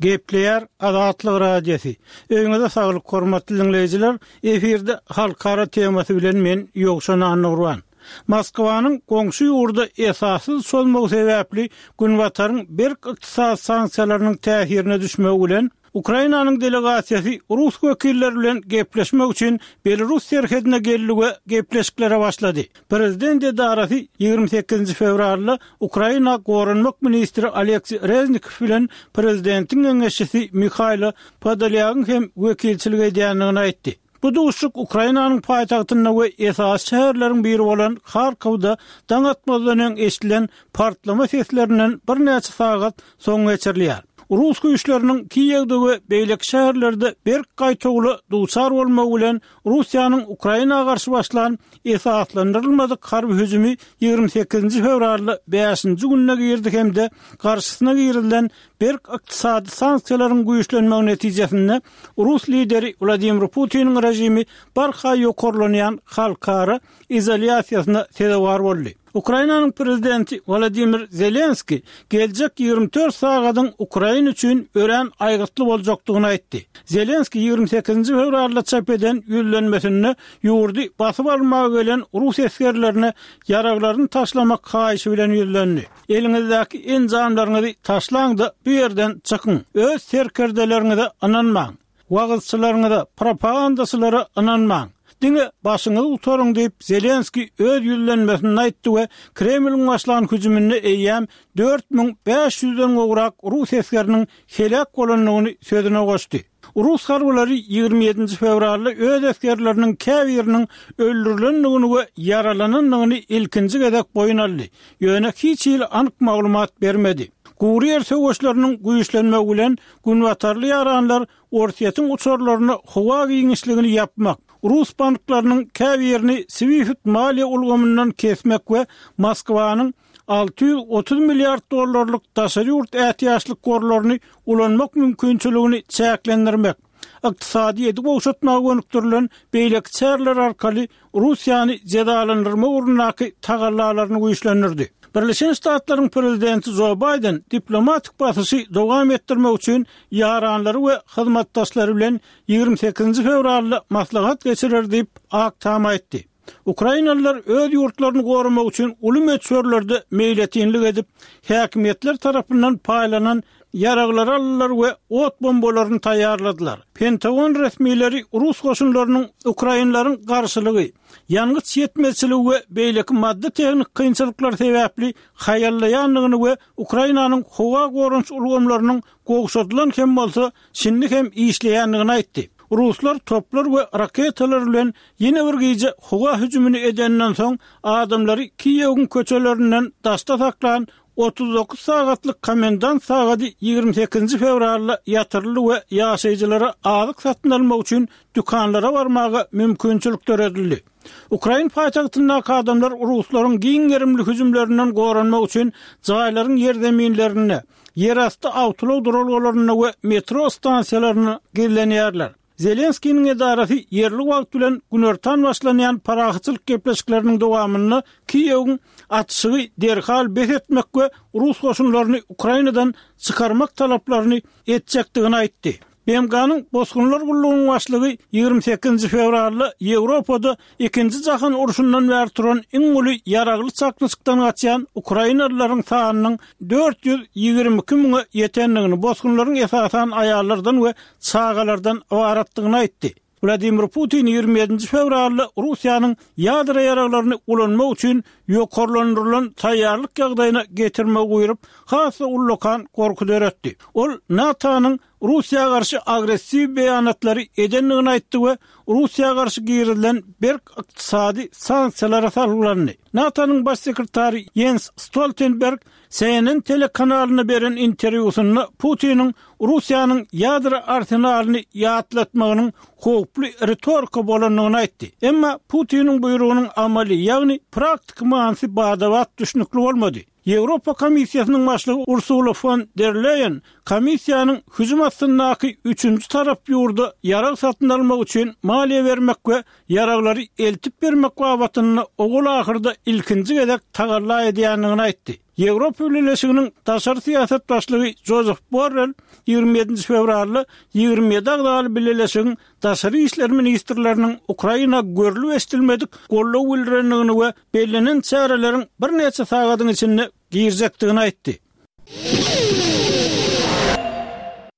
Gepleýär Azatlyk Radiosy. Öýüňize saglyk hormatly diňleýjiler. Efirde halkara temasy bilen men Ýowşan Annagurban. Moskwanyň goňşy ýurda esassyz çozmagy sebäpli Günbataryň berk ykdysady sanksiýalarynyň täsirine düşmegi bilen, Ukrainanyň delegasiýasy rus wekilleri bilen gepleşmek üçin Belarus serhedine geldi we gepleşiklere başlady. Prezident edarasy 28-nji fewralda Ukraina goranmak ministri Oleksiý Reznikow bilen prezidentiň geňeşçisi Mihaýlo Podolýagyň hem wekilçilik edýändigini aýtdy. Bu duşuşyk Ukrainanyň paýtagtynda we esasy şäherleriň biri bolan Harkowda daň atmazdan öň eşidilen partlama seslerinden birnäçe sagat soň geçirilýär. Rus güýçleriniň Kiýewde we beýleki şäherlerde berk gaýtawula duçar bolmagy bilen Russiýanyň Ukraina garşy başlan esaslandyrylmadyk harby hüjümi 28-nji fewralda bäşinji gününe girdi hem-de garşysyna girizilen berk ykdysady sanksiýalaryň güýçlenmegi netijesinde rus lideri Wladimir Putiniň režimi barha ýokarlanýan halkara izolýasiýasyna sezewar boldy. Ukrainanyň prezidenti Wolodymyr Zelenskiý geljek 24 sagadyň Ukraina üçin örän aýgytly boljakdygyny aýtdy. Zelenskiý 28-nji fewralda çap eden ýüzlenmesinde ýurdy basyp almaga gelen rus esgerlerine ýaraglaryny taşlamak haýyşy bilen ýüzlendi. Eliňizdäki enjamlaryňyzy taşlaň-da, bu ýerden çykyň. Öz serkerdeleriňize ynanmaň. Wagyzçylaryňyza, propagandaçylara ynanmaň. Diňe başyňyzy gutaryň diýip, Zelenskiý öz ýüzlenmesinde aýtdy we Kremliň başlan hüjüminde eýýäm 4500-den gowrak rus esgeriniň heläk bolandygyny sözüne goşdy. Rus harbylary 27-nji fewralda öz esgerleriniň käbiriniň öldürilendigini we ýaralanandygyny ilkinji gezek boýun aldy, ýöne hiç hili anyk maglumat bermedi. Gury ýer söweşleriniň güýçlenmegi bilen günbatarly ýaranlar Orsýetiň uçarlaryna howa giňişligini ýapmak, rus banklarynyň käbirini SWIFT maliýe ulgamyndan kesmek we Moskwanyň 630 milliard dollarlyk daşary ýurt ätiýaçlyk gorlaryny ulanmak mümkinçiligini çäklendirmek, ykdysadyýeti gowşatmaga gönükdirilen beýleki çäreler arkaly Russiýany jezalandyrmak ugrundaky tagallalaryny güýçlendirdi. Birleşen Ştatlaryň prezidenti Jo Baýden diplomatik basyşy dowam etdirmek üçin ýaranlary we hyzmatdaşlary bilen 28-nji fewralda maslahat geçirer diýip, Ak Tam aýtdy. Ukrainalylar öz ýurtlaryny goramak üçin uly möçberlerde meýletinlik edip, häkimiýetler tarapyndan paýlanan ýaraglary aldylar we ot bombalaryny taýýarladylar. Pentagon resmileri rus goşunlarynyň ukrainleriň garşylygy, ýangyç ýetmezçiligi we beýleki maddy-tehniki kynçylyklar sebäpli haýallaýandygyny we Ukrainanyň howa goranyş ulgamlarynyň gowşadylan hem bolsa, şindi hem işleýändigini aýtdy. Ruslar toplar we raketalar bilen ýene bir gije howa hüjümini edenden soň, adamlary Kiýewiň köçelerinden daşda saklan 39 sagatlyk komendant sagady 28-nji fewralda ýatyryldy we ýaşaýjylara azyk satyn almak üçin dükanlara barmaga mümkinçilik döredildi. Ukrain paýtagtyndaky adamlar ruslaryň giň gerimli hüjümlerinden goranmak üçin jaýlaryň ýerzeminlerinde, ýerasty awtoulag duralgalarynda we metro stansiýalarynda gizlenýärler. Zelenskiniň edarasy ýerli wagt bilen günortan başlanýan parahatçylyk gepleşikleriniň dowamynda Kiýewiň atyşygy derhal bes etmek we rus goşunlaryny Ukrainadan çykarmak talaplaryny etjekdigini aýtdy. BMG-niň Bosgunlar gullugynyň başlygy 28-nji fewralda Ýewropada Ikinji jahan urşundan bäri turan iň uly ýaragly çaknyşykdan gaçýan ukrainalylaryň sanynyň 422 müňe ýetendigini, bosgunlaryň esasan aýallardan we çagalardan ybaratdygyny aýtdy. Wladimir Putin 27-nji fewralda Russiýanyň ýadro ýaraglaryny ulanmak üçin ýokarlandyrylan taýýarlyk ýagdaýyna getirmegi buýrup, has-da ullakan gorky döretdi. Ol NATO-nyň Russiýa garşy agressiw beýanatlary edendigini aýtdy we Russiýa garşy girizilen berk ykdysady sanksiýalara salgylandy. NATO-nyň Baş sekretary Ýens Stoltenberg CNN telekanalyna beren interwýusynda Putiniň Russiýanyň ýadro arsenalyny ýatlatmagynyň howply ritorika bolandygyny aýtdy. Emma Putiniň buýrugynyň amaly, ýagny praktiki manysy bada-bat düşnükli bolmady. Ýewropa Komissiýasynyň başlygy Ursula fon der Leýen komissiýanyň hüjüm astyndaky üçünji tarap ýurda ýarag satyn almak üçin maliýe bermek we ýaraglary eltip bermek babatynda ogul-ahyrda ilkinji gezek tagalla edýändigini aýtdy. Ýewropa Bileleşiginiň daşary syýasat başlygy Jozef Borrel 27 fewralda 27 agzaly bileleşigiň daşary işler ministrleriniň Ukraina görlüp-eşidilmedik goldaw bildirendigini we bellenen çäreleriň birnäçe sagadyň içinde girjekdigini aýtdy.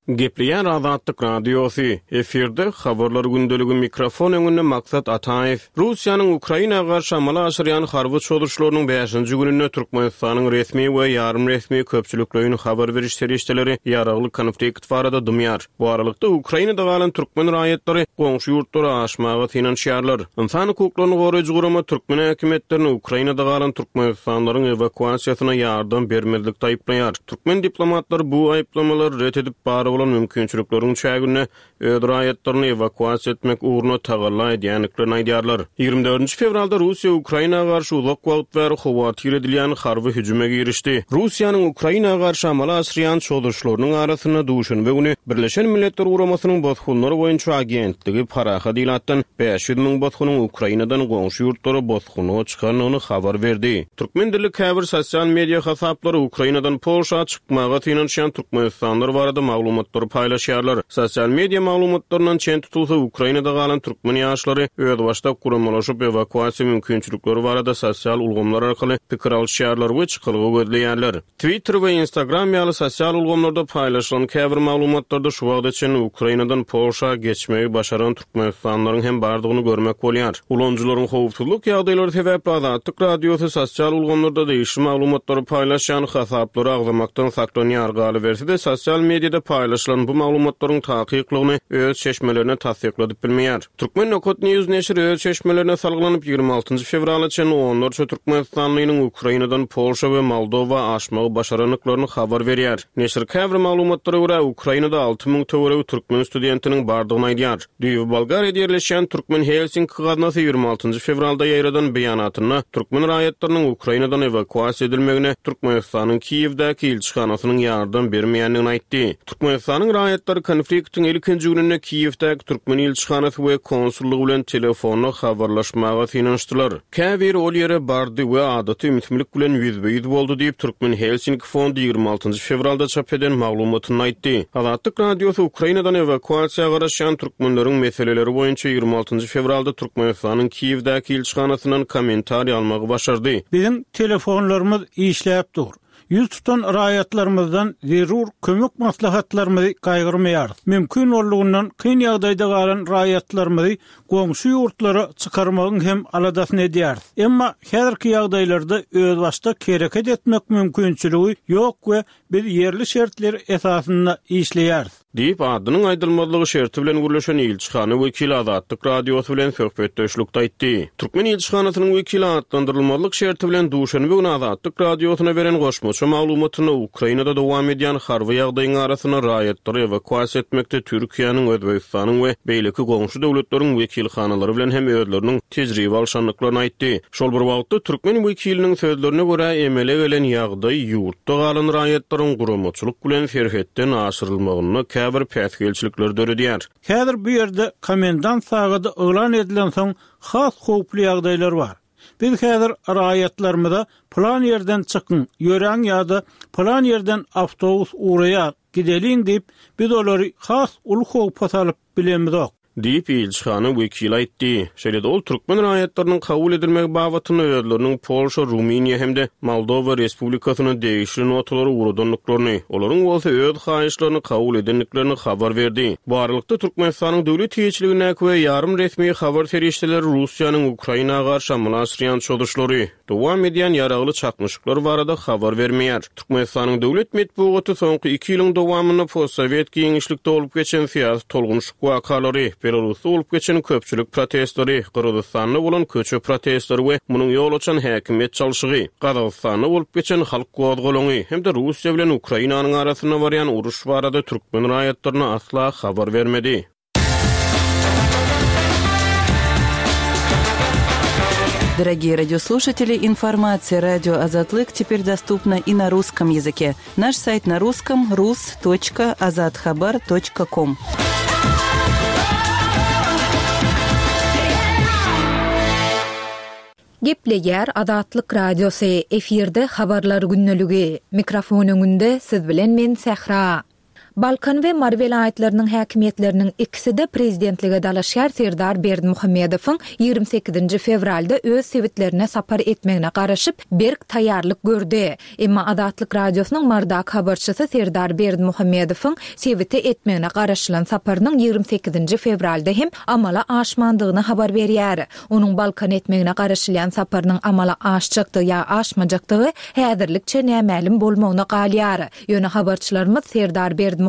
Gepleýär Azatlyk Radiosy, efirde Habarlar gündeligi mikrofon öňünde Maksat Ataýew. Russiýanyň Ukraina garşy amala aşyrýan harby çozuşlarynyň bäşinji gününde Türkmenistanyň resmi we ýarym resmi köpçülikleýin habar beriş serişdeleri ýaragly konflikt barada dymýar. Bu aralykda, Ukrainada galan türkmen raýatlary goňşy ýurtlara aşmaga synanyşýarlar. Ynsan hukuklaryny goraýjy gurama türkmen häkimiýetlerini Ukrainada galan türkmenistanlylaryň ewakuasiýasyna ýardam bermezlikde aýyplaýar. Türkmen diplomatlary bu aýyplamalary ret edip, bar bolan mümkinçilikleriň çäginde öz raýatlaryny ewakuasiýa etmek ugrunda tagalla edýändiklerini aýdýarlar. 24 fewralda Russiýa Ukraina garşy uzak wagt bäri howatyr edilýän harby hüjüme girişdi. Russiýanyň Ukraina garşy amala aşyrýan çozuşlarynyň arasynda duşenbe güni Birleşen Milletler Guramasynyň Bosgunlar boýunça agentligi parahat ilatdan 500 müň bosgunyň Ukrainadan goňşy ýurtlara bosgunlyga çykandygyny habar berdi. Türkmen dilli käbir sosial media hasaplary Ukrainadan Polşa çykmaga synanyşýan türkmenistanlylar barada maglumatlary paýlaşýarlar. Sosial media maglumatlaryndan çen tutulsa, Ukrainada galan türkmen ýaşlary özbaşdak guramalaşyp, ewakuasiýa mümkinçilikleri barada sosial ulgamlar arkaly pikir alyşýarlar we çykalga gözleýärler. Twitter we Instagram ýaly sosial ulgamlarda paýlaşylan käbir maglumatlarda şu wagta çenli Ukrainadan Polşa geçmegi başaran türkmenistanlylaryň hem bardygyny görmek bolýar. Ulanyjylaryň howpsuzlyk ýagdaýlary sebäpli Azatlyk Radiosy sosial ulgamlarda degişli maglumatlary paýlaşýan hasaplary agzamakdan saklanýar, galyberse-de sosial mediada paýlaşylan bu maglumatlaryň takyklygyny öz çeşmelerine tassykladyp bilmeýär. Turkmen Nokat News neşiri öz çeşmelerine salgylanyp, 26 fewrala çenli onlarça türkmenistanlynyň Ukrainadan Polşa we Moldowa aşmagy başarandyklaryny habar berýär. Neşir käbir maglumatlara görä, Ukrainada 6000 töweregi türkmen studentiniň bardygyny aýdýar. Düýbi Bolgariýada ýerleşýän Türkmen Helsinki gaznasy 26 fewralda ýaýradan beýanatynda türkmen raýatlarynyň Ukrainadan ewakuasiýa edilmegine Türkmenistanyň Kiýewdäki ilçihanasynyň ýardam bermeýändigini aýtdy. Türkmenistanyň raýatlary konfliktiň ilkinji gününde Kiýewdäki türkmen ilçihanasy we konsullygy bilen telefonda habarlaşmaga synanyşdylar. Käbiri ol ýere bardy we adaty ümsümlik bilen ýüzbe-ýüz boldy diýip, Türkmen Helsinki fondy 26 fewralda çap eden maglumatynda aýtdy. Azatlyk Radiosy Ukrainadan ewakuasiýa garaşýan türkmenleriň meseleleri boýunça 26 fewralda Türkmenistanyň Kiýewdäki ilçihanasyndan kommentariý almagy başardy. Biziň telefonlarymyz işläp dur. Ýüz tutan raýatlarymyzdan zerur kömek maslahatlarymyzy gaýgyrmaýarys. Mümkin boldugyndan kyn ýagdaýda galan raýatlarymyzy goňşy ýurtlara çykarmagyň hem aladasyny edýäris. Emma häzirki ýagdaýlarda özbaşdak hereket etmek mümkinçiligi ýok we biz ýerli şertler esasynda işleýäris. Diýip, adynyň aýdylmazlygy şerti bilen gürleşen ilçihana wekili Azatlyk Radiosy bilen söhbetdeşlikde aýtdy. Türkmen ilçihanasynyň wekili atlandyrylmazlyk şerti bilen duşenbe güni Azatlyk Radiosyna beren goşmaça maglumatynda Ukrainada dowam edýän harby ýagdaýyň arasynda raýatlary ewakuasiýa etmekde Türkiýäniň, Özbegistanyň we beýleki goňşy döwletleriň wekilhanalary bilen hem özleriniň tejribe alşandyklaryny aýtdy. Şol bir wagtda, türkmen wekiliniň sözlerine görä, emele gelen ýagdaý ýurtda galan raýatlaryň guramaçylyk bilen serhetden aşyrylmagynda käbir päsgelçilikleri döredýär. Häzir bu ýerde komendant sagady yglan edilensoň has howply ýagdaýlar bar. Biz häzir raýatlarymyza pylan ýerden çykyň, ýöräň ýa-da pylan ýerden awtobus ugraýar, gideliň diýip, biz olary has uly howpa salyp bilemizok. Diýip, ilçihana wekili aýtdy. Şeýle-de ol türkmen raýatlarynyň kabul edilmegi babatynda özleriniň Polşa, Rumyniýa hem-de Moldowa Respublikasyna degişli notalary ugradandyklaryny, olaryň bolsa öz haýyşlaryny kabul edendiklerini habar berdi. Bu aralykda, Türkmenistanyň döwlet eýeçiligindäki we ýarym resmi habar serişdeleri Russiýanyň Ukraina garşy amala aşyrýan çozuşlary, dowam edýän ýaragly çaknyşyklar barada habar bermeýär. Türkmenistanyň döwlet metbugaty soňky iki ýylyň dowamynda postsowet giňişlikde bolup geçen syýasy tolgunyşyk wakalary, Belarusda bolup geçen köpçülik protestleri, Gyrgyzystanda bolan köçe protestleri we munuň ýol açan häkimiýet çalşygy, Gazagystanda bolup geçen halk gozgalaňy hem-de Russiýa bilen Ukrainanyň arasynda barýan uruş barada türkmen raýatlaryna asla habar bermedi. Дорогие радиослушатели, информация радио Азатлык теперь доступна и на русском языке. Наш сайт на русском rus.azathabar.com. Gepleýär Azatlyk Radiosy, efirde Habarlar gündeligi. Mikrofon öňünde siz bilen men Sähra. Balkan we Mary welaýatlarynyň häkimiýetleriniň ikisi-de prezidentlige dalaşgär Serdar Berdimuhamedowyň 28-nji fewralda öz sebitlerine sapar etmegine garaşyp, berk taýýarlyk gördi. Emma Azatlyk Radiosynyň Marydaky habarçysy Serdar Berdimuhamedowyň sebite etmegine garaşylan saparynyň 28-nji fewralda hem amala aşmandygyny habar berýär. Onuň Balkana etmegine garaşylýan saparynyň amala aşjakdygy ýa aşmajakdygy häzirlikçe nämälim bolmagyna galýar. Ýöne habarçylarymyz Serdar Berdimuhamedowyň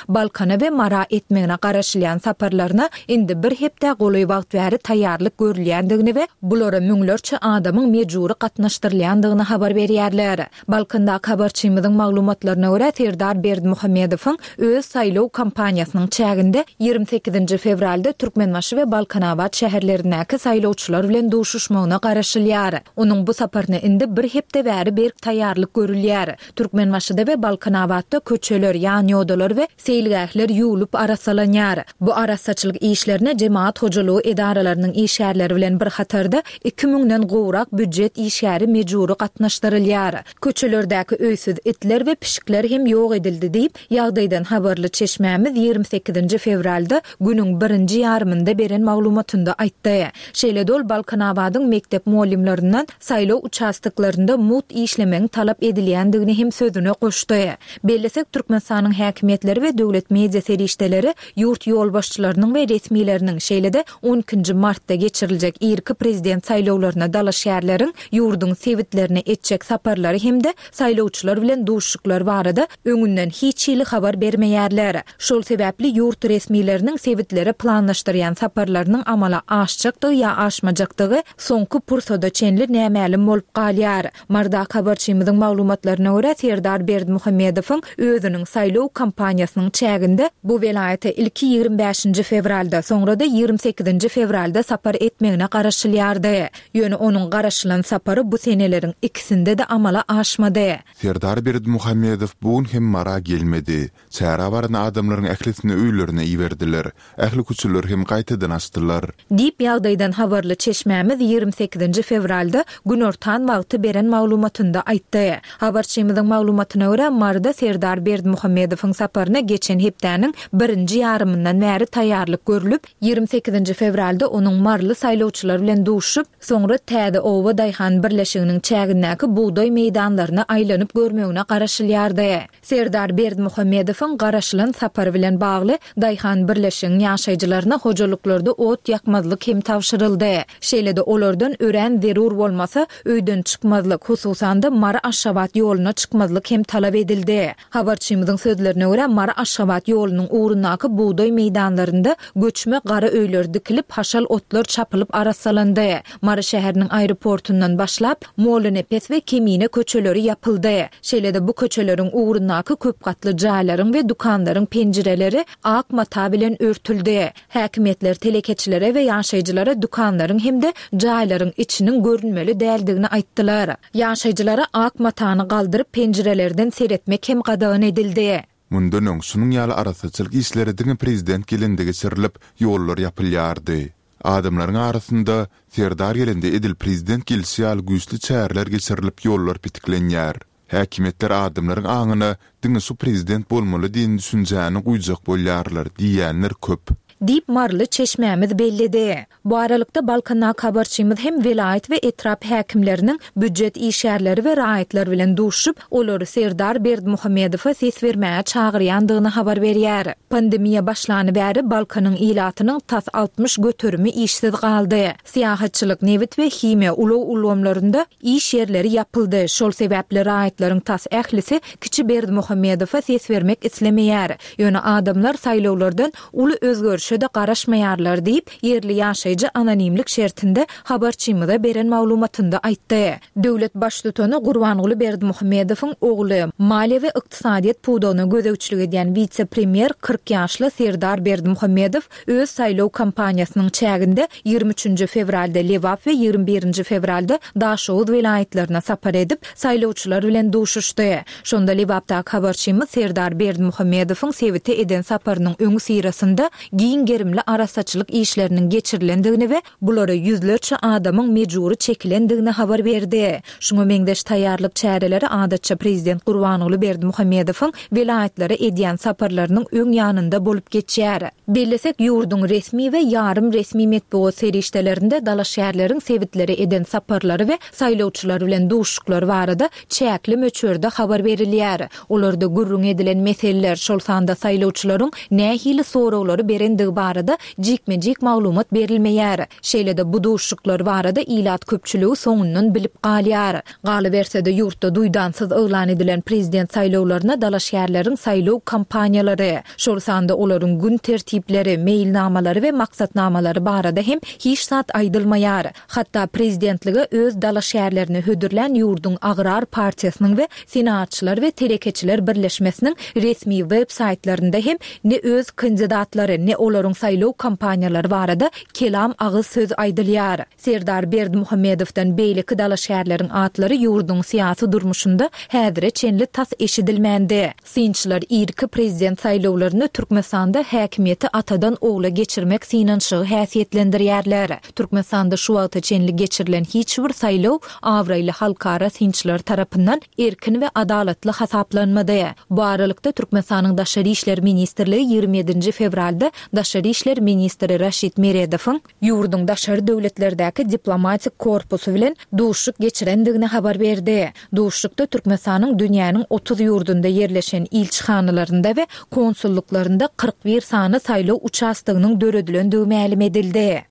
Balkana we Mara etmegine garaşylýan saparlaryna indi bir hepdä golaý wagt bäri taýýarlyk görülýändigini we bulara müňlerçe adamyň mejbury gatnaşdyrylýandygyny habar berýärler. Balkandaky habarçymyzyň maglumatlaryna görä, Serdar Berdimuhamedowyň öz saýlaw kampaniýasynyň çäginde 28-nji fewralda Türkmenbaşy we Balkanabat şäherlerindäki saýlawçylar bilen duşuşmagyna garaşylýar. Onuň bu saparyna indi bir hepde bäri berk taýýarlyk görülýär. Türkmenbaşyda we Balkanabatda köçeler, ýanýodalar we seýilgähler ýuwlup arassalanýar. Bu arassaçylyk işlerine jemagat hojalygy edaralarynyň işgärleri bilen bir hatarda iki müňden gowrak býujet işgäri mejbury gatnaşdyrylýar. Köçelerdäki öýsüz itler we pişikler hem ýok edildi diýip, ýagdaýdan habarly çeşmämiz 28-nji fewralda günüň birinji ýarymynda beren maglumatynda aýtdy. Şeýle-de ol Balkanabadyň mekdep mugallymlaryndan saýlaw uçastoklarynda mugt işlemegiň talap edilýändigini hem sözüne goşdy. Bellesek, Türkmenistanyň häkimiýetleri we döwlet media serişdeleri ýurt ýolbaşçylarynyň we resmileriniň, şeýle-de on ikinji martda geçiriljek irki prezident saýlawlaryna dalaşgärleriň ýurduň sebitlerine etjek saparlary hem-de saýlawçylar bilen duşuşyklar barada öňünden hiç hili habar bermeýärler. Şol sebäpli ýurt resmileriniň sebitlere planlaşdyrýan saparlarynyň amala aşjakdygy ýa aşmajakdygy soňky pursada çenli nämälim bolup galýar. Marydaky habarçymyzyň maglumatlaryna görä, Serdar Berdimuhamedowyň özüniň saýlaw kampaniýasynyň çäginde bu welaýata ilki 25-nji fewralda, soňra-da 28-nji fewralda sapar etmegine garaşylýardy. Ýöne onuň garaşylan sapary bu seneleriň ikisinde-de amala aşmady. Serdar Berdimuhamedow bu gün hem Mara gelmedi. Çärä baran adamlaryň ählisini öýlerine iberdiler. Ähli köçeleri hem gaýtadan açdylar. Diýip, ýagdaýdan habarly çeşmämiz 28-nji fewralda günortan wagty beren maglumatynda aýtdy. Habarçymyzyň maglumatyna görä, Maryda Serdar Berdimuhamedowyň saparyna geçen hepdäniň birinji ýarymyndan bäri taýýarlyk görlüp, 28-nji fewralda onuň maryly saýlawçylar bilen duşuşyp, soňra Täze oba daýhan birleşiginiň çägindäki bugdaý meýdanlaryna aýlanyp görmegine garaşylýardy. Serdar Berdimuhamedowyň garaşylan sapary bilen bagly daýhan birleşigiň ýaşaýjylaryna hojalyklarda ot ýakmazlyk hem tabşyryldy. Şeýle-de olardan örän zerur bolmasa, öýden çykmazlyk, hususan-da Mary-Aşgabat ýoluna çykmazlyk hem talap edildi. Habarçymyzyň sözlerine görä, Mary-Aşgabat ýolunyň ugrundaky bugdaý meýdanlarynda göçme gara öýler dikilip, haşal otlar çapylyp arassalandy. Mary şäheriniň aeroportundan başlap, Mollanepes we Kemine köçeleri ýapyldy. Şeýle-de bu köçeleriň ugrundaky köp gatly jaýlaryň we dükanlaryň penjireleri ak mata bilen örtüldi. Häkimiýetler telekeçilere we ýaşaýjylara dükanlaryň hem-de jaýlaryň içiniň görünmeli däldigini aýtdylar. Ýaşaýjylara ak matany galdyryp penjirelerden seretmek hem gadagan edildi. Mundan öň şunuň ýaly arassaçylyk işleri diňe prezident gelende geçirilip, ýollar ýapylýardy. Adamlaryň arasynda Serdar gelende edil prezident gelşi ýaly güýçli çäreler geçirilip ýollar petiklenýär. Häkimiýetler adamlaryň aňyna diňe şu prezident bolmaly diýen düşünjäni guýjak bolýarlar diýýänler köp. Diýip, maryly çeşmämiz belledi. Bu aralykda, Balkandaky habarçymyz hem welaýat we etrap häkimleriniň býujet işgärleri we raýatlar bilen duşuşyp, olary Serdar Berdimuhamedowa ses bermäge çagyrýandygyny habar berýär. Pandemiýa başlany bäri Balkanyň ilatynyň tas 60 göterimi işsiz galdy. Syýahatçylyk, nebit we himiýa, ulag ulgamlarynda iş ýerleri ýapyldy. Şol sebäpli raýatlaryň tas ählisi kiçi Berdimuhamedowa ses bermek islemeýär. Ýöne adamlar saýlawlardan uly özgerişe-de garaşmaýarlar diýip, ýerli ýaşaýjy anonimlik şertinde habarçymyza beren maglumatynda aýtdy. Döwlet Baştutany Gurbanguly Berdimuhamedowyň ogly, maliýe we ykdysadyýet pudagyna gözegçilik edýän wise-premýer 40 ýaşly Serdar Berdimuhamedow öz saýlaw kampaniýasynyň çäginde 23-nji fewralda Lebap we 21-nji fewralda Daşoguz welaýatlaryna sapar edip, saýlawçylar bilen duşuşdy. Şonda Lebapdaky habarçymyz Serdar Berdimuhamedowyň sebite eden saparynyň öňüsyrasynda giň. giň gerimli arassaçylyk işleriniň geçirilendigini we bulara ýüzlerçe adamyň mejbury çekilendigini habar berdi. Şuňa meňzeş taýýarlyk çäreleri adatça prezident Gurbanguly Berdimuhamedowyň welaýatlara edýän saparlarynyň öň ýanynda bolup geçýär. Bellesek, ýurduň resmi we ýarym resmi metbugat serişdelerinde dalaşgärleriň sebitlere eden saparlary we saýlawçylar bilen duşuşyklary barada çäkli möçberde habar berilýär. Olarda gürrüň edilen meseleler, şol sanda saýlawçylaryň nähili soraglary berendigi barada jikme-jik maglumat berilmeýär. Şeýle-de bu duşuşyklar barada ilat köpçüligi soňundan bilip galýar. Galyberse-de, ýurtda duýdansyz yglan edilen prezident saýlawlaryna dalaşgärleriň saýlaw kampaniýalary, şol sanda olaryň gün tertipleri, meýilnamalary we maksatnamalary barada hem hiç zat aýdylmaýar. Hatda prezidentlige öz dalaşgärlerini hödürlän ýurduň Agrar partiýasynyň we Senagatçylar we telekeçiler birleşmesiniň resmi web saýtlarynda hem ne öz kandidatlary, ne olaryň saýlaw kampaniýalary barada kelam agyz söz aýdylýar. Serdar Berdimuhamedowdan beýleki dalaşgärleriň atlary ýurduň syýasy durmuşynda häzire çenli tas eşidilmändi. Synçylar irki prezident saýlawlaryny Türkmenistanda häkimiýeti atadan ogla geçirmek synanyşygy häsiýetlendirýärler. Türkmenistanda şu wagta çenli geçirilen hiç bir saýlaw abraýly halkara synçylar tarapyndan erkin we adalatly hasaplanmady. Bu aralykda, Türkmenistanyň Daşary işler ministrligi 27-nji fewralda daşary işler ministri Raşid Meredowyň ýurduň daşary döwletlerdäki diplomatik korpusy bilen duşuşyk geçirendigini habar berdi. Duşuşykda Türkmenistanyň dünýäniň 30 ýurdunda ýerleşen ilçihanalarynda we konsullyklarynda 41 sany saýlaw uçastogynyň döredilendigi mälim edildi.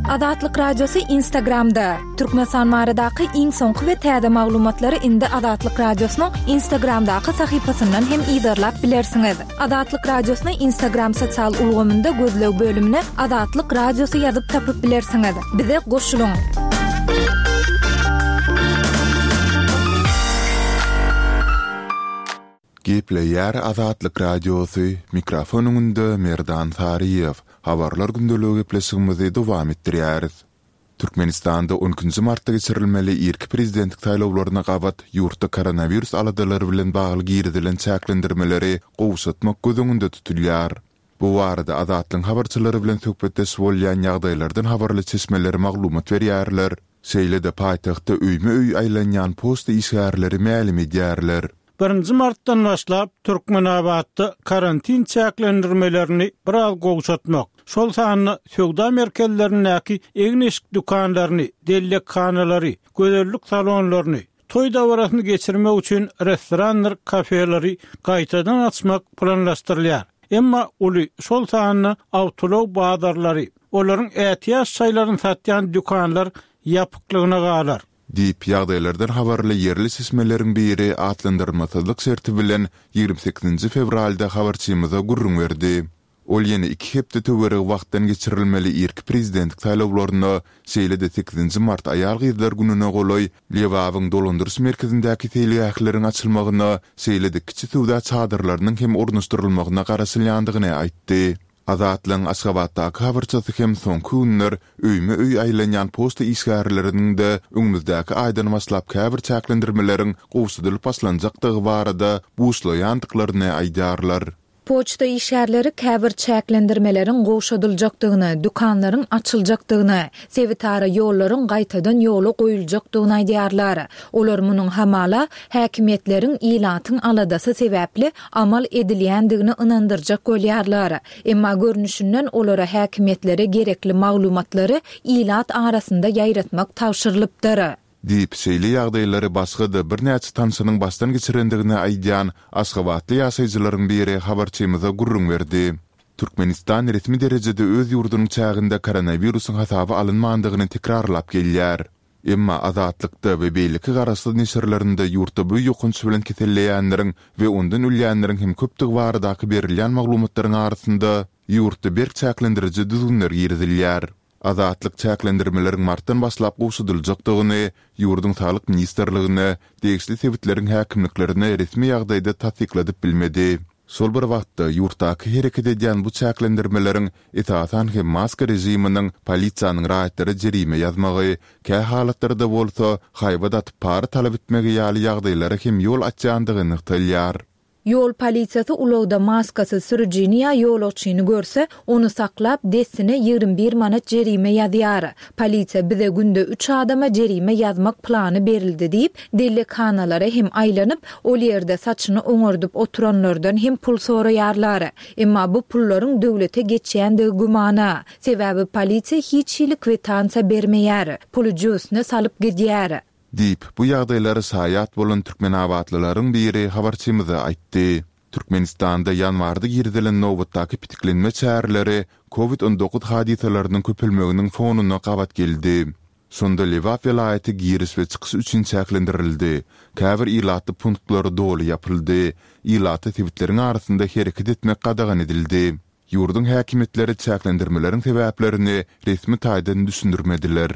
Azatlyk Radiosy Instagramda, Türkmenistan baradaky iň soňky we täze maglumatlary indi Azatlyk Radiosynyň Instagramdaky sahypasyndan hem yzarlap bilersiňiz. Azatlyk Radiosyny Instagram sosial ulgamynda gözleg bölümine Azatlyk Radiosy ýazyp tapyp bilersiňiz. Bize goşulyň! Gepleýär Azatlyk Radiosy, mikrofon öňünde Merdan Saryýew. Habarlar gündeligi gepleşigimizi dowam etdirýäris. Türkmenistanda on ikinji martda geçirilmeli irki prezidentlik saýlawlaryna gabat ýurtda koronawirus aladalary bilen bagly girizilen çäklendirmeleri gowşatmak göz öňünde tutulýar. Bu barada Azatlygyň habarçylary bilen söhbetdeş bolýan ýagdaýlardan habarly çeşmeler maglumat berýärler. Şeýle-de paýtagtda öýme-öý aýlanýan poçta işgärleri mälim edýärler. Birinji martdan başlap, Türkmenabatda karantin çäklendirmelerini biraz gowşatmak, şol sanda söwda merkezlerindäki egin-eşik dükanlaryny, dellekhanalary, gözellik salonlaryny, toý dabarasyny geçirmek üçin restorandyr kafeleri gaýtadan açmak planlaşdyrylýar. Emma uly, şol sanda awtoulag bazarlary, olaryň ätiýaç şaýlaryny satýan dükanlar ýapyklygyna galar. Diýip, ýagdaýlardan habarly ýerli çeşmeleriň biri atlandyrylmasyzlyk şerti bilen 28-nji fewralda habarçymyza gürrüň berdi. Ol ýene iki hepde töweregi wagtdan geçirilmeli irki prezidentlik saýlawlaryna, şeýle-de sekizinji mart aýal-gyzlar gününe golaý Lebabyň dolandyryş merkezindäki seýilgähleriň açylmagyna, şeýle-de kiçi söwda çadyrlarynyň hem ornaşdyrylmagyna garaşylýandygyny aýtdy. Azatlygyň Aşgabatdaky habarçysy hem soňky günler öýme-öý aýlanýan poçta işgärleriniň-de öňümizdäki aýdan başlap käbir çäklendirmeleriň gowşadylyp başlanjakdygy barada buşlaýandyklaryny aýdýarlar. Poçta işgärleri käbir çäklendirmeleriň gowşadyljakdygyny, dükanlaryň açyljakdygyny, sebitara ýollaryň gaýtadan ýola goýuljakdygyny aýdýarlar. Olar munuň hamala, häkimiýetleriň ilatyň aladasy sebäpli amal edilýändigini ynandyrjak bolýarlar. Emma görnüşinden olara häkimiýetlere gerekli maglumatlary ilat arasynda ýaýratmak tabşyrylypdyr. Diýip, şeýle ýagdaýlary başga-da birnäçe tanşynyň başdan geçirendigini aýdýan aşgabatly ýaşaýjylaryň biri habarçymyza gürrüň berdi. Türkmenistan resmi derejede öz ýurdunyň çäginde koronawirusyň hasaba alynmandygyny tekrarlap gelýär. Emma Azatlykda we beýleki garaşsyz neşirlerinde ýurtda bu ýokanç bilen keselleýänleriň we ondan ölýänleriň hem köpdügi baradaky berilýän maglumatlaryň arasynda ýurtda berk çäklendiriji düzgünler girizilýär. Azatlyk çäklendirmeleriň martdan başlap gowşadyljakdygyny ýurduň Saglyk ministrligine, degişli sebitleriň häkimliklerine resmi ýagdaýda tassykladyp bilmedi. Şol bir wagtda, ýurtdaky hereket edýän bu çäklendirmeleriň, esasan hem maska režiminiň polisiýanyň raýatlara jerime ýazmagy, kä halatlarda bolsa, haýbat atyp para talap etmegi ýaly ýagdaýlara hem ýol açýandygy nygtalýar. Ýol polisiýasy ulagda maskasyz sürüjini ýa ýolagçyny görse, ony saklap, dessine 21 manat jerime ýazýar. Polisiýa bize günde üç adama jerime ýazmak plany berildi diýip, dellekhanalara hem aýlanyp, ol ýerde saçyny oňardyp oturanlardan hem pul soraýarlar. Emma bu pullaryň döwlete geçýändigi gümana. Sebäbi polisiýa hiç hili kwitansiýa bermeýär, puly jübüsine salyp gidýär. Diýip, bu ýagdaýlara şaýat bolan türkmenabatlylaryň biri habarçymyza aýtdy. Türkmenistanda ýanwarda girizilen nobatdaky petiklenme çäreleri Covid 19 hadysalarynyň köpelmeginiň fonuna gabat geldi. Şonda Lebap welaýaty giriş we çykyş üçin çäklendirildi, käbir ilatly punktlar doly ýapyldy, ilata sebitleriň arasynda hereket etmek gadagan edildi. Ýurduň häkimiýetleri çäklendirmeleriň sebäplerini resmi taýdan düşündirmediler.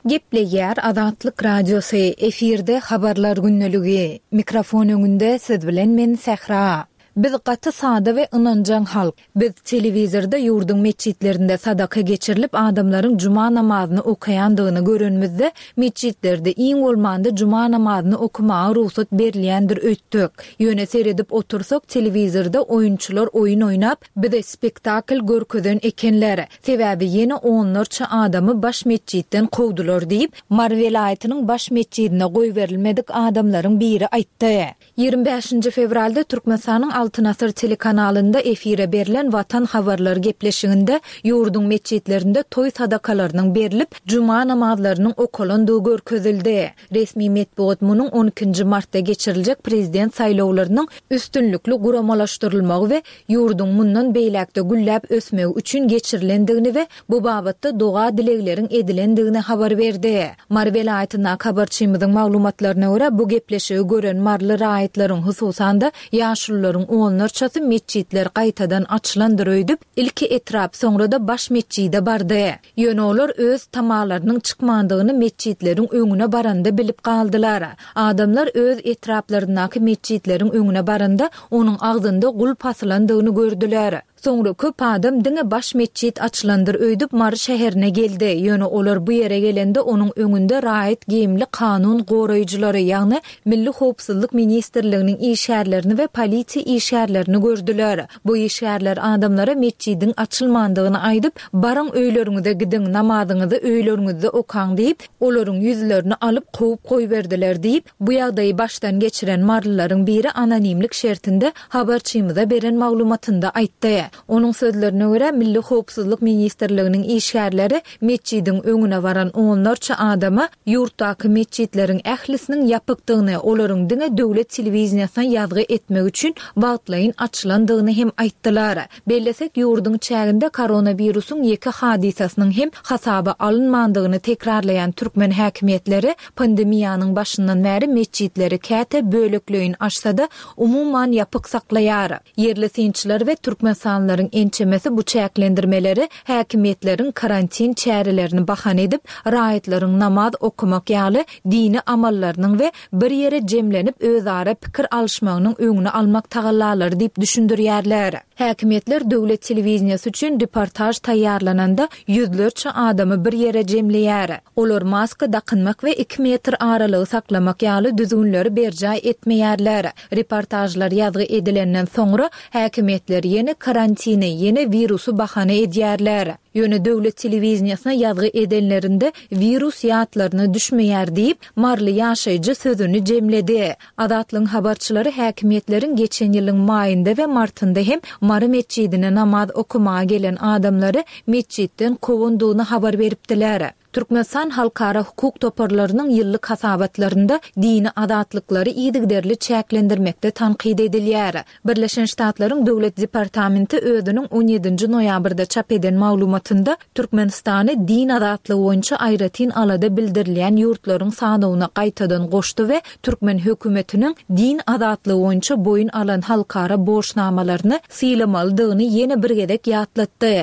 Gepleýär Azatlyk Radiosy, efirde Habarlar gündeligi. Mikrofon öňünde siz bilen men Sähra. Biz gaty sada we ynanjaň halk. Biz telewizorda ýurduň metjitlerinde sadaka geçirilip adamlaryň juma namazyny okaýandygyny görenimizde, metjitlerde iň bolmanda juma namazyny okamaga rugsat berilýändir öýtdük. Ýöne seredip otursak telewizorda oýunçylar oýun oýnap, bize spektakl görkezen ekenler. Sebäbi ýene onlarça adamy baş metjitden kowdular diýip, Mary welaýatynyň baş metjidine goýberilmedik adamlaryň biri aýtdy. 25-nji fewralda Türkmenistanyň Altyn asyr telekanalynda efire berlen Watan habarlary gepleşiginde ýurduň metjitlerinde toý sadakalarynyň berlip, juma namazlarynyň okalandygy görkezildi. Resmi metbugat munuň on ikinji martda geçiriljek prezident saýlawlarynyň üstünlikli guramalaşdyrylmagy we ýurduň mundan beýläk-de gülläp ösmegi üçin geçirilendigini we bu babatda doga-dilegleriň edilendigini habar berdi. Mary welaýatyndaky habarçymyzyň maglumatlaryna görä, bu gepleşigi gören maryly raýatlaryň, hususan-da, ýaşulularyň onlarçasy metjitler gaýtadan açylandyr öýdüp, ilki etrap, soňra-da baş metjide bardy. Ýöne olar öz tamalarynyň çykmandygyny metjitleriň öňüne baranda bilip galdylar. Adamlar öz etraplaryndaky metjitleriň öňüne baranda, onuň agzynda gulp asylandygyny gördüler. Soňra köp adam diňe baş metjit açylandyr öýdüp Mary şäherine geldi. Ýöne olar bu ýere gelende onuň öňünde raýat geýimli kanun goraýjylary, ýagny Milli howpsuzlyk ministrliginiň işgärlerini we polisiýa işgärlerini gördüler. Bu işgärler adamlara metjidiň açylmandygyny aýdyp, Baryň öýleriňize gidiň, namazyňyzy öýleriňizde okaň diýip, olaryň ýüzlerini alyp kowup goýberdiler diýip, bu ýagdaýy başdan geçiren marylylaryň biri anonimlik şertinde habarçymyza beren maglumatynda aýtdy. Onuň sözlerine görä, Milli howpsuzlyk ministrliginiň işgärleri metjidiň öňüne baran onlarça adama ýurtdaky metjitleriň ählisiniň ýapykdygyny, olaryň diňe döwlet telewideniýesine ýazgy etmek üçin wagtlaýyn açylandygyny hem aýtdylar. Bellesek, ýurduň çäginde koronawirusyň ýeke hadysasynyň hem hasaba alynmandygyny tekrarlaýan türkmen häkimiýetleri pandemiýanyň başyndan bäri metjitleri käte bölekleýin açsa-da, umuman ýapyk saklaýar. Ýerli synçylar we türkmenistanlylaryň ençemesi bu çäklendirmeleri häkimiýetleriň karantin çärelerini bahana edip, raýatlaryň namaz okamak ýaly dini amallarynyň we bir ýere jemlenip özara pikir alyşmagynyň öňüni almak tagallalary diýip düşündirýärler. Häkimiýetler döwlet telewideniýesi üçin reportaž taýýarlananda ýüzlerçe adamy bir ýere jemleýär. Olar maska dakynmak we iki metr aralygy saklamak ýaly düzgünleri berjaý etmeýärler. Reportažlar ýazgy edilenden soňra, häkimiýetler ýene karantini, ýene wirusy bahana edýärler. Ýöne döwlet telewideniýesine ýazgy edenlerinde wirus ýatlaryna düşmeýär diýip, maryly ýaşaýjy sözüni jemledi. Azatlygyň habarçylary häkimiýetleriň geçen ýylyň maýynda we martynda hem Mary metjidine namaz okamaga gelen adamlary metjitden kowandygyny habar beripdiler. Türkmenistan halkara hukuk toparlarynyň ýyllyk hasabatlarynda dini azatlyklary yzygiderli çäklendirmekde tankyt edilýär. Birleşen Ştatlaryň Döwlet departamenti özüniň on ýedinji noýabrda çap eden maglumatynda Türkmenistany din azatlygy boýunça aýratyn alada bildirilýän ýurtlaryň sanawyna gaýtadan goşdy we türkmen hökümetiniň din azatlygy boýunça boýun alan halkara borçnamalaryny sylamalydygyny ýene bir gezek ýatlatdy.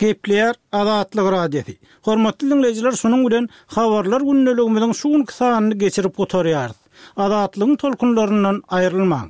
Gepleýär Azatlyk Radiosy. Hormatly diňleýjiler şunuň bilen Habarlar gündeligimiziň şu günki sanyny geçirip gutarýarys. Azatlygyň tolkunlaryndan aýrylmaň.